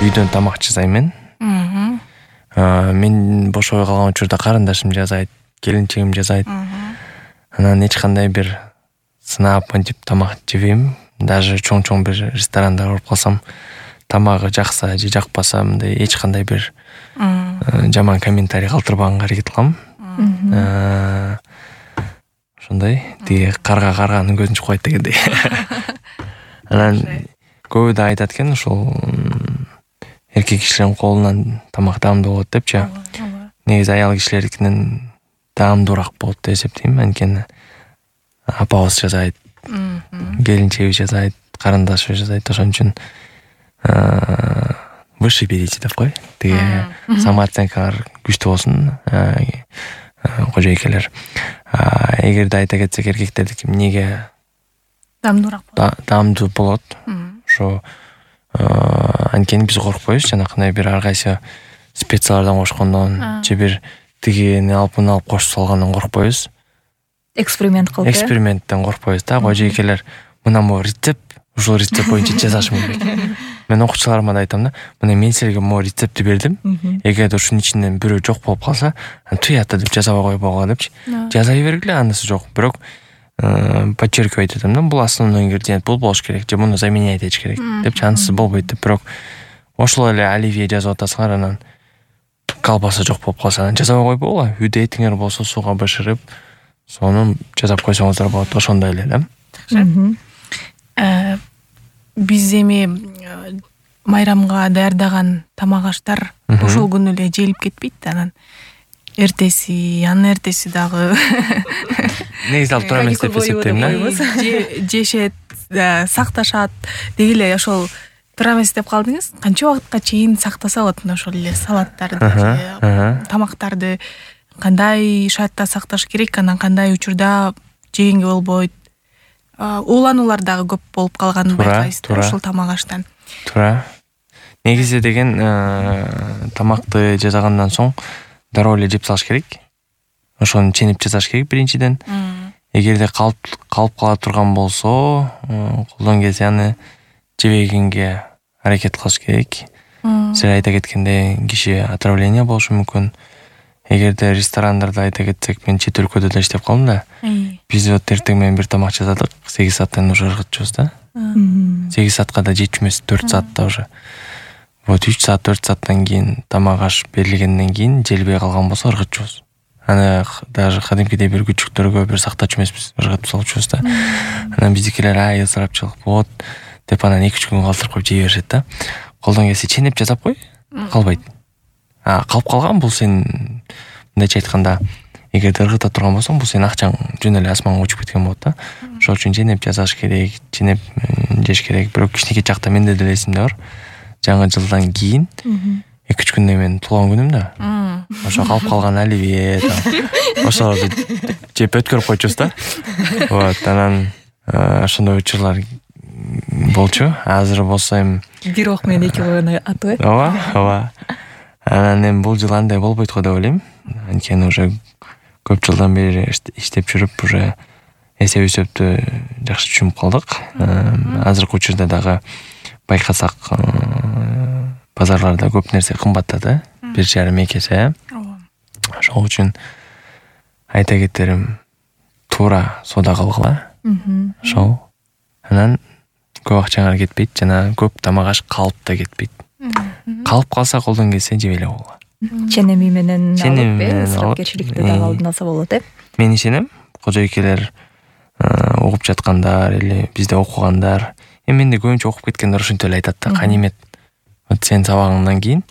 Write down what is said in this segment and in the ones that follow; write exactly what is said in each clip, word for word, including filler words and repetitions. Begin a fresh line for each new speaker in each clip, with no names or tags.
үйдөн тамак жасайм мен. Мен бошобой калган учурда карындашым жасайт, келинчегим жасайт. Анан эч кандай бир сынап мынтип тамак жебейм. Даже чоң-чоң бир ресторанда барып калсам, тамагы жакса же жакпаса мындай эч кандай бир жаман комментарий калтырбаганга аракет кылам. Ошондой, тиги карга карганын көзүн чукпайт дегендей. Анан көбү да айтат экен, ушул эркек кишилердин колунан тамак даамдуу болот депчи. Негизи аял кишилердикинен даамдуураак болот деп эсептейм. Анткени апабыз жасайт, келинчегибиз жасайт, карындашыбыз жасайт. Ошон үчүн выше берите деп кой. Тиги самооценкалар күчтүү болсун, кожойкелер. Эгерде айта кетсек, эркектердики эмнеге
даамдуураак болот?
Даамдуу болот. Ошо анткени биз коркпойбуз, жанакындай бир ар кайсы специялардан кошкондон же бир тигини алып муну алып кошуп салгандан коркпойбуз.
Эксперимент кылып,
эксперименттен коркпойбуз да. Кожойкелер мына могу рецепт, ушул рецепт боюнча жасашым керек. Мен окуучуларыма да айтам да, мына мен силерге могу рецептти бердим. Эгерде ушунун ичинен бирөө жок болуп калса, туята деп жазабай койбогула депчи. Жазай бергиле, анысы жок. Бирок подчеркивать этем да, бул основной ингредиент, бул болуш керек, же муну заменять этиш керек депчи. Анысы болбойт деп. Бирок ошол эле оливье жазып атасыңар, анан колбаса жок болуп калса, анан жазабай койбогула. Үйдө этиңер болсо сууга бышырып, сону жасап койсоңуздар болот. Ошондой эле
да. Биз эми майрамга даярдаган тамак аштар ошол күнү эле желип кетпейт да, анан эртеси, анын эртеси дагы
негизи алып тура эмес деп эсептейм да.
Жешет, сакташат деги эле ошол туура эмес деп калдыңыз. Канча убакытка чейин сактаса болот ошол эле салаттарды, тамактарды кандай шартта сакташ керек, анан кандай учурда жегенге болбойт? Уулануулар дагы көп болуп калганын байкайсыз ушул тамак аштан.
Туура. Негизи деген тамакты жасагандан соң дароо эле жеп салыш керек. Ошону ченип жасаш керек биринчиден. Эгерде калып калып кала турган болсо, колдон келсе аны жебегенге аракет кылыш керек. Сиз айта кеткендей, киши отравление болушу мүмкүн. Эгерде ресторандарда айта кетсек, мен чет өлкөдө да иштеп калдым да. Биз вот эртең менен бир тамак жасадык, сегиз сааттан уже ыргытчубуз да. сегиз саатка да жетчү эмес, төрт саатта уже. Вот үч саат, төрт сааттан кийин тамак аш берилгенден кийин желбей калган болсо ыргытчубуз. Аны даже кадимкидей бир күчүктөргө бир сактачу эмеспиз, ыргытып салчубуз да. Анан биздикилер ай ысырапчылык болот деп анан эки үч күн калтырып коюп жей беришет да. Колдон келсе ченеп жасап кой, калбайт. А калып калган бул сен мындайча айтканда, эгерде ыргыта турган болсоң, бул сенин акчаң жөн эле асманга учуп кеткен болот да. Ошол үчүн ченеп жасаш керек, ченеп жеш керек. Бирок кичинекей чакта менде деле эсимде бар. Жаңы жылдан кийин эки үч күндөн мен туулган күнүм да. Ошо калып калган оливье, ошолорду жеп өткөрүп койчубуз да. Вот, анан ошондой учурлар болчу. Азыр болсо эми
бир ок менен эки коюну атып э.
Ооба, ооба. Анан эми бул жыл андай болбойт го деп ойлойм. Анткени уже көп жылдан бери иштеп жүрүп, уже эсеп өсөптү жакшы түшүнүп калдык. Азыркы учурда дагы байкасак, базарларда көп нерсе кымбаттады, бир жарым эки эсе. Ошол үчүн айта кетерим, туура соода кылгыла. Ошол. Анан көп акчаңар кетпейт, жана көп тамак аш калып да кетпейт. Калып калса колдон келсе жебей эле койгула.
Ченеми менен алып, ысырапкерчиликти дагы алдын алса болот э.
Мен ишенем, кожойкелер угуп жаткандар или бизде окугандар, эми менде көбүнчө окуп кеткендер ушинтип эле айтат да, канемет. Вот сен сабагыңдан кийин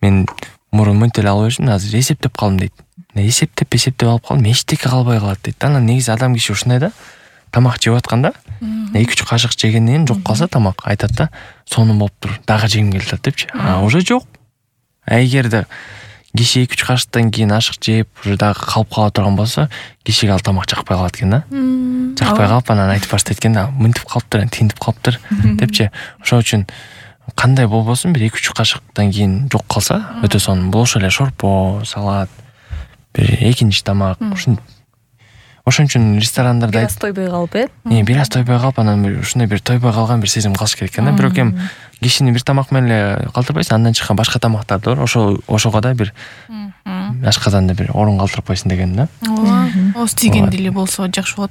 мен мурун мынтип эле алып жүрдүм, азыр эсептеп калдым дейт. Эсептеп эсептеп алып калдым, эчтеке калбай калат дейт да. Анан негизи адам киши ушундай да. Тамак жеп атканда эки үч кашык жегенден жок калса тамак, айтат да, сонун болуптур, дагы жегим келип атат депчи. А уже жок. А эгерде киши эки үч кашыктан кийин ашык жеп, уже дагы калып кала турган болсо, кишиге ал тамак жакпай калат экен да. Жакпай калып анан айтып баштайт экен да, мынтип калыптыр, тинтип калыптыр депчи. Ошол үчүн кандай болбосун бир эки үч кашыктан кийин жок калса, өтө сонун. Бул ошо эле шорпо, салат, бир экинчи тамак, ушин Ошон үчүн ресторандарда
бир аз тойбой калып э
э бир аз тойбой калып анан бир ушундай бир тойбой калган бир сезим калыш керек экен да. Бирок эми кишини бир тамак менен эле калтырбайсың, андан чыккан башка тамактарды бар. Ошо ошого да бир ашказанда бир орун калтырбайсың деген да.
ооба ооз тийгенди эле болсо жакшы болот.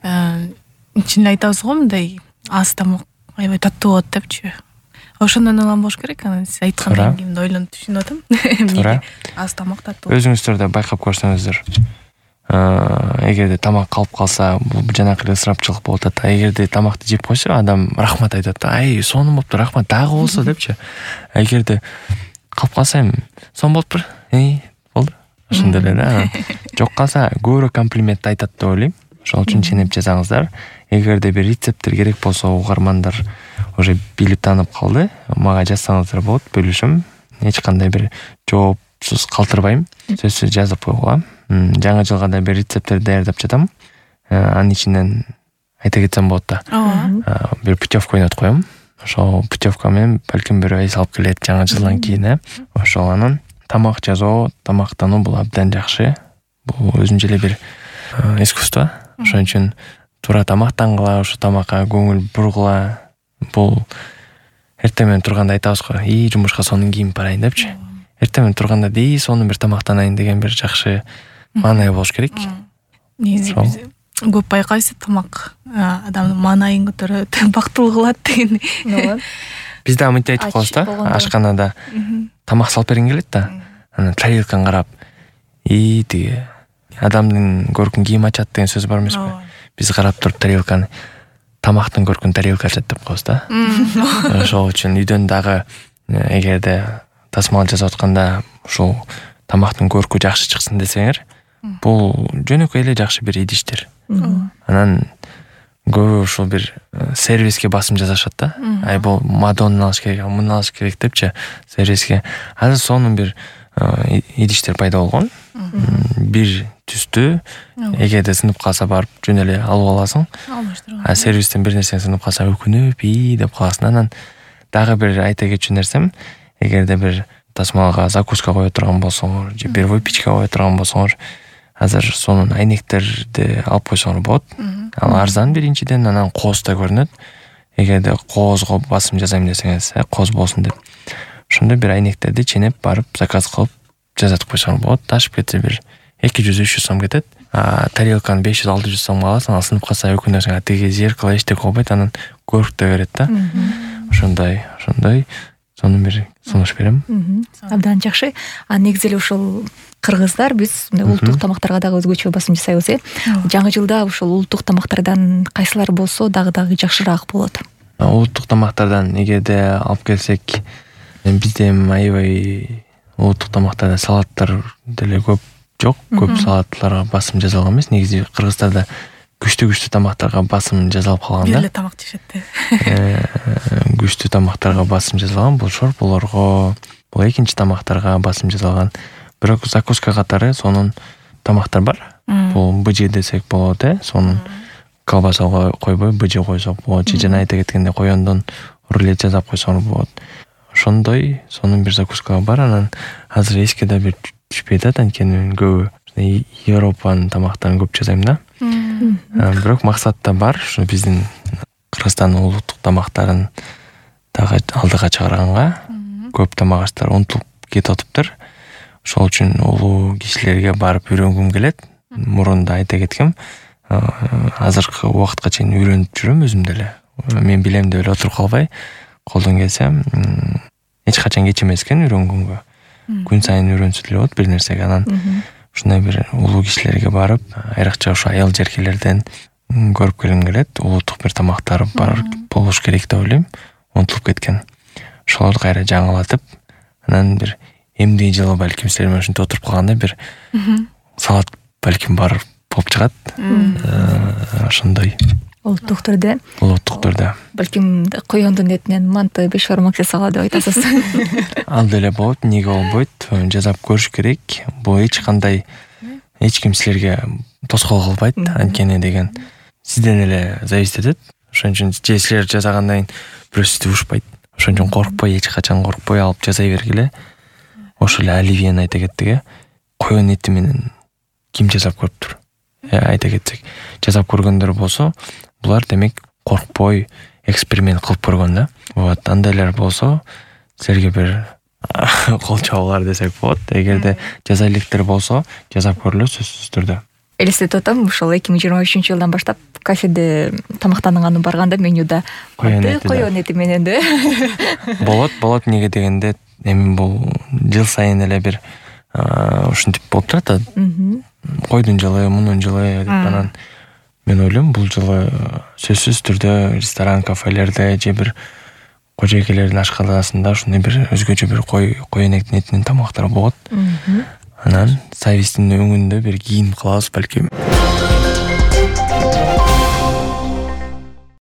Чын эле айтабыз го мындай аз тамак аябай таттуу болот депчи. Ошондон улам болуш керек. Анан сиз айткандан кийин ойлонуп түшүнүп атам. Эмне аз тамак таттуу.
Өзүңүздөр да байкап көрсөңүздөр, эгерде тамак калып калса, бул жанакы эле ысырапчылык болуп атат. Эгерде тамакты жеп койсо, адам рахмат айтат да. Ай, сонун болуптур, рахмат, дагы болсо депчи. Эгерде калып калса, эми сонун болуптур. Эй, болду. Ошондой эле да. Жок калса, көбүрөөк комплимент айтат деп ойлойм. Ошол үчүн ченеп жазаңыздар. Эгерде бир рецепттер керек болсо, угармандар уже билип таанып калды, мага жазсаңыздар болот, бөлүшөм. Эч кандай бир жоопсуз калтырбайм. Сөзсүз жазып койгула. Жаңы жылга да бир рецепттер даярдап жатам. Анын ичинен айта кетсем болот да.
Ооба.
Бир путевка ойнотуп коем. Ошол путевка менен балким бирөө эс алып келет жаңы жылдан кийин, э. Ошол анан тамак жасоо, тамактануу бул абдан жакшы. Бул өзүнчө эле бир искусство. Ошон үчүн туура тамактангыла, ошо тамакка көңүл бургула. Бул эртең менен турганда айтабыз го, "И жумушка сонун кийинип барайын" депчи. Эртең менен турганда "И сонун бир тамактанайын" деген бир жакшы маанай болуш керек.
Негизи биз көп байкайбыз, тамак адамдын маанайын көтөрөт, бактылуу кылат деген.
Ооба.
Биз да мынтип айтып коебуз да, ашканада тамак салып бергиң келет да. Анан тарелканы карап, "И тиги адамдын көркүн кийим ачат" деген сөз бар эмеспи? Биз карап туруп тарелканы тамактын көркүн тарелка ачат деп коебуз да. Ошол үчүн үйдөн дагы эгерде тасмал жасап атканда ушул тамактын көркү жакшы чыксын десеңер, бул жөнөкөй эле жакшы бир идиштер. Анан көбү ушул бир сервиске басым жасашат да. Ай бул Мадонна алыш керек, муну алыш керек депчи, сервиске. Азыр сонун бир идиштер пайда болгон. Бир түстүү, эгерде сынып калса барып жөн эле алып аласың. А сервистен бир нерсе сынып калса өкүнүп и деп каласың. Анан дагы бир айта кетчү нерсем, эгерде бир тасмалга закуска кое турган болсоңор, же бир выпечка кое турган болсоңор, азыр сонун айнектерди алып койсоңор болот. Ал арзан биринчиден, анан кооз да көрүнөт. Эгерде коозго басым жасайм десеңиз, кооз болсун деп. Ошондой бир айнектерди ченеп барып заказ кылып жазатып койсоңор болот. Ташып кетсе бир эки жүз үч жүз сом кетет. А тарелканы беш жүз алты жүз сомго аласың, ал сынып калса өкүнөсүң, тиги зеркало эчтеке болбойт, анан көрк да берет да. Ошондой, ошондой сонун бир сунуш берем.
Абдан жакшы. А негизи эле ушул кыргыздар биз мындай улуттук тамактарга дагы өзгөчө басым жасайбыз, э. Жаңы жылда ушул улуттук тамактардан кайсылар болсо дагы дагы жакшыраак болот?
Улуттук тамактардан эгерде алып келсек, бизде аябай улуттук тамактарда салаттар деле көп жок. Көп салаттарга басым жасалган эмес. Негизи кыргыздарда күчтүү-күчтүү тамактарга басым жасалып калган да.
Бир эле тамак жешет.
Күчтүү тамактарга басым жасалган, бул шорполорго, бул экинчи тамактарга басым жасалган. Бирок закуска катары сонун тамактар бар. Бул быжы десек болот, э. Сонун колбаса койбой быжы койсок болот. Же жана айта кеткенде коёндон рулет жасап койсоңор болот. Ошондой сонун бир закуска бар. Анан азыр эске да бир түшпөйт да, анткени көбү Европанын тамактарын көп жасайм да. Бирок максат да бар, ушу биздин Кыргызстандын улуттук тамактарын дагы алдыга чыгарганга. Көп тамак-аштар унутулуп кетип атыптыр. Ошол үчүн улуу кишилерге барып үйрөнгүм келет. Мурунда айта кеткем, азыркы убакытка чейин үйрөнүп жүрөм өзүм деле. Мен билем деп эле отуруп калбай, колдон келсе эч качан кеч эмес экен үйрөнгөнгө. Күн сайын үйрөнсө деле болот бир нерсеге. Анан ушундай бир улуу кишилерге барып, айрыкча ушу аял жеркелерден көрүп келгим келет. Улуттук бир тамактар бар болуш керек деп ойлойм. Унутулуп кеткен. Ошолорду кайра жаңылатып, анан бир эмдиги жылы балким силер менен ушинтип отуруп калганда бир салат балким бар болуп чыгат. Ошондой.
Улуттук түрдө.
Улуттук түрдө.
Балким коёндун этинен манты, беш бармак жасала деп айтасыз.
Ал деле болот, эмнеге болбойт? Жасап көрүш керек. Бул эч кандай эч ким силерге тоскоол кылбайт, анткени деген сизден эле зависит этет. Ошон үчүн же силер жасагандан кийин бирөө сизди урушпайт. Ошон үчүн коркпой, эч качан коркпой алып жасай бергиле. Ошол эле оливьени айта кеттик, э. Коён эти менен ким жасап көрүптүр? айта кетсек, жасап көргөндөр болсо, булар демек коркпой эксперимент кылып көргөн да. Вот, андайлар болсо, силерге бир кол чабуулар десек болот. Эгерде жаза электер болсо, жасап көрүлө сөзсүз түрдө.
Элестетип атам, ушул эки миң жыйырма үчүнчү жылдан баштап кафеде тамактанганга барганда менюда коён эти менен да.
Болот, болот эмнеге дегенде, эми бул жыл сайын эле бир ушинтип болуп турат. Койдун жылы, мунун жылы деп анан мен ойлойм, бул жылы сөзсүз түрдө ресторан, кафелерде же бир кожойкелердин ашканасында ушундай бир өзгөчө бир кой коенектин этинен тамактар болот. Анан Савистин өңүндө бир кийим кылабыз балким.